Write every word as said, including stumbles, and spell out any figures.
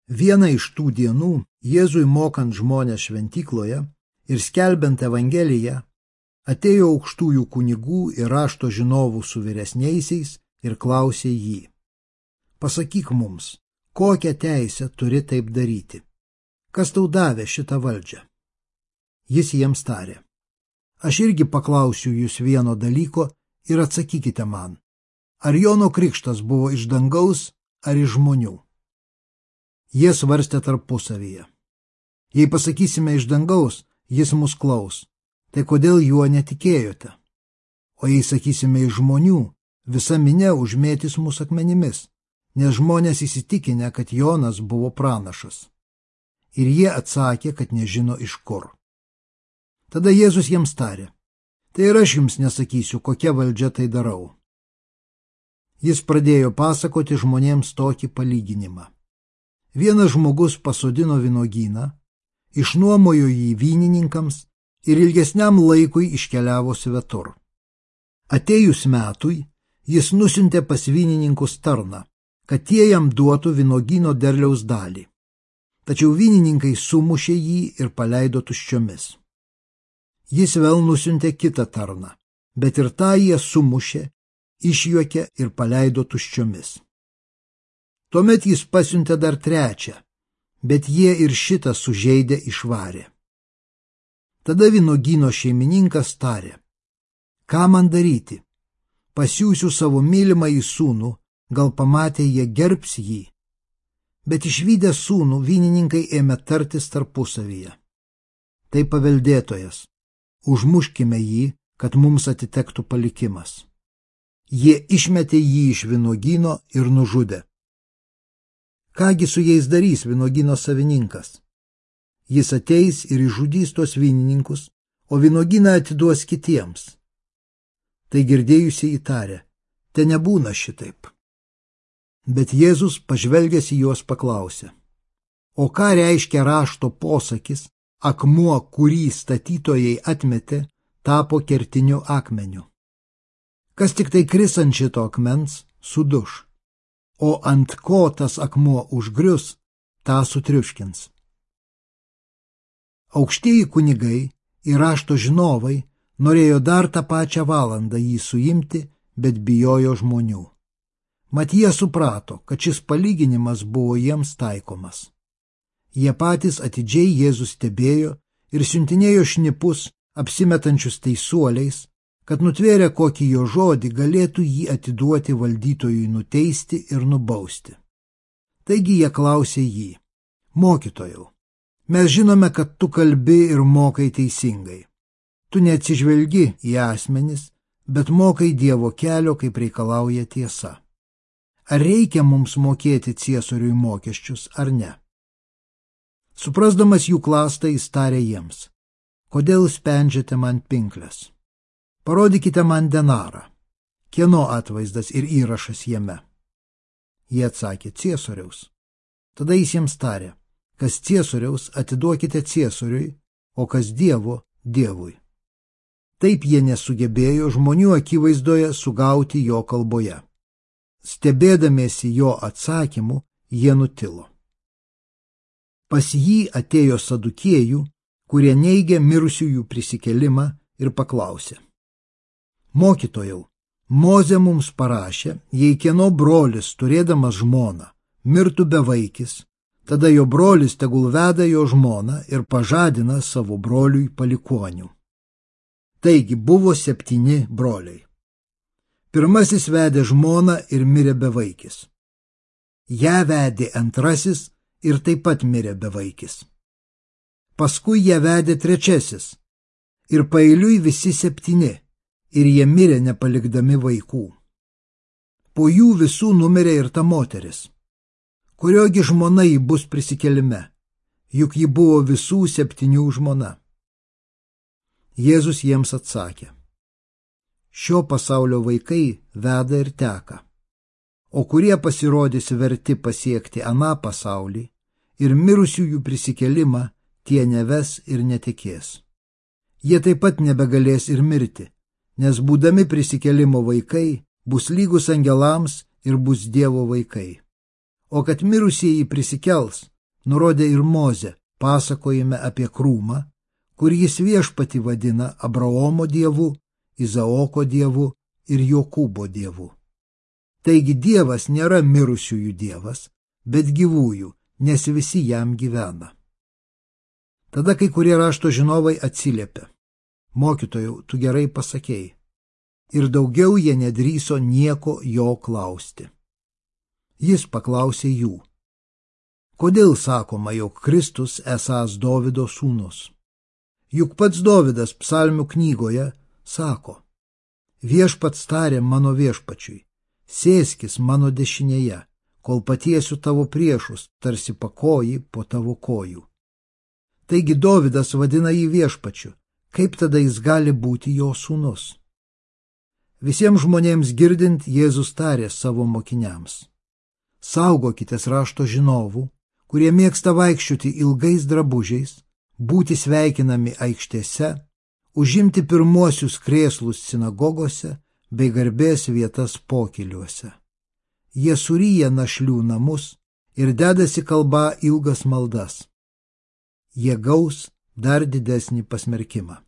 Vieną iš tų dienų Jėzui mokant žmonės šventykloje ir skelbiant Evangeliją, atėjo aukštųjų kunigų ir rašto žinovų su vyresniaisiais ir klausė jį: pasakyk mums, kokią teisę turi taip daryti? Kas tau davė šitą valdžią? Jis jiems tarė: aš irgi paklausiu jūs vieno dalyko ir atsakykite man. Ar Jono krikštas buvo iš dangaus ar iš žmonių? Jie svarstė tarpusavyje. Jei pasakysime iš dangaus, jis mus klaus, tai kodėl juo netikėjote? O jei sakysime iš žmonių, visa minia užmėtys mus akmenimis, nes žmonės įsitikinę, kad Jonas buvo pranašas. Ir jie atsakė, kad nežino iš kur. Tada Jėzus jiems tarė: tai ir aš jums nesakysiu, kokia valdžia tai darau. Jis pradėjo pasakoti žmonėms tokį palyginimą. Vienas žmogus pasodino vynuogyną, išnuomojo jį vynininkams ir ilgesniam laikui iškeliavo svetur. Atėjus metui, jis nusiuntė pas vynininkus tarną, kad tie jam duotų vynuogyno derliaus dalį. Tačiau vynininkai sumušė jį ir paleido tuščiomis. Jis vėl nusiuntė kitą tarną, bet ir tą jie sumušė, išjuokė ir paleido tuščiomis. Tuomet jis pasiuntė dar trečią, bet jie ir šitą sužeidę išvarė. Tada vynuogyno šeimininkas tarė: ką man daryti? Pasiųsiu savo mylimąjį sūnų, gal pamatę jie gerbs jį. Bet išvydę sūnų vynininkai ėmė tartis tarpusavyje: tai paveldėtojas, užmuškime jį, kad mums atitektų palikimas. Jie išmetė jį iš vynuogyno ir nužudė. Kągi su jais darys vynuogyno savininkas? Jis ateis ir išžudys tuos vynininkus, o vynuogyną atiduos kitiems. Tai girdėjusiai įtarė: te nebūna šitaip. Bet Jėzus pažvelgęs į juos paklausė: o ką reiškia rašto posakis, akmuo, kurį statytojai atmetė, tapo kertiniu akmeniu? Kas tik tai kris ant šito akmens, suduš, o ant ko tas akmuo užgrius, tą sutriuškins. Aukštieji kunigai ir rašto žinovai norėjo dar tą pačią valandą jį suimti, bet bijojo žmonių. Mat jie suprato, kad šis palyginimas buvo jiems taikomas. Jie patys atidžiai Jėzų stebėjo ir siuntinėjo šnipus, apsimetančius teisuoliais, kad nutvėrę kokį jo žodį galėtų jį atiduoti valdytojui nuteisti ir nubausti. Taigi jie klausė jį: mokytojau, mes žinome, kad tu kalbi ir mokai teisingai. Tu neatsižvelgi į asmenis, bet mokai Dievo kelio, kaip reikalauja tiesa. Ar reikia mums mokėti Ciesoriui mokesčius ar ne? Suprasdamas jų klastą, jis tarė jiems: kodėl spendžiate man pinkles? Parodykite man denarą. Kieno atvaizdas ir įrašas jame? Jie atsakė: Ciesoriaus. Tada jis jiems tarė: kas Ciesoriaus, atiduokite Ciesoriui, o kas Dievo, Dievui. Taip jie nesugebėjo žmonių akivaizdoje sugauti jo kalboje. Stebėdamiesi jo atsakymu, jie nutilo. Pas jį atėjo sadukėjų, kurie neigė mirusiųjų prisikėlimą, ir paklausė: mokytojau, Mozė mums parašė, jei kieno brolis, turėdamas žmoną, mirtų bevaikis, tada jo brolis tegul veda jo žmoną ir pažadina savo broliui palikonių. Taigi buvo septyni broliai. Pirmasis vedė žmoną ir mirė bevaikis. Ją vedė antrasis ir taip pat mirė bevaikis. Paskui ją vedė trečiasis ir paeiliui visi septyni, ir jie mirė nepalikdami vaikų. Po jų visų numirė ir ta moteris. Kuriogi žmona ji bus prisikėlime, juk ji buvo visų septynių žmona. Jėzus jiems atsakė: šio pasaulio vaikai veda ir teka, o kurie pasirodys verti pasiekti aną pasaulį ir mirusiųjų prisikėlimą, tie neves ir netikės. Jie taip pat nebegalės ir mirti, nes būdami prisikėlimo vaikai bus lygus angelams ir bus Dievo vaikai. O kad mirusieji prisikels, nurodė ir Mozė pasakojime apie krūmą, kur jis viešpatį vadina Abraomo dievu, Izaoko dievu ir Jokūbo dievu. Taigi Dievas nėra mirusiųjų dievas, bet gyvųjų, nes visi jam gyvena. Tada kai kurie rašto žinovai atsiliepė: Mokytojau, tu gerai pasakėjai. Ir daugiau jie nedrįso nieko jo klausti. Jis paklausė jų: Kodėl sakoma, jog Kristus esąs Dovido sūnus? Juk pats Dovidas psalmių knygoje sako: Viešpats tarė mano viešpačiui, sėskis mano dešinėje, kol patiesiu tavo priešus, tarsi pakoji po tavo kojų. Taigi Dovidas vadina jį viešpačiu, kaip tada jis gali būti jo sūnus? Visiems žmonėms girdint, Jėzus tarė savo mokiniams: Saugokitės rašto žinovų, kurie mėgsta vaikščioti ilgais drabužiais, būti sveikinami aikštėse, užimti pirmuosius krėslus sinagogose bei garbės vietas pokyliuose. Jie suryja našlių namus ir dedasi kalbą ilgas maldas. Jie gaus dar didesnį pasmerkimą.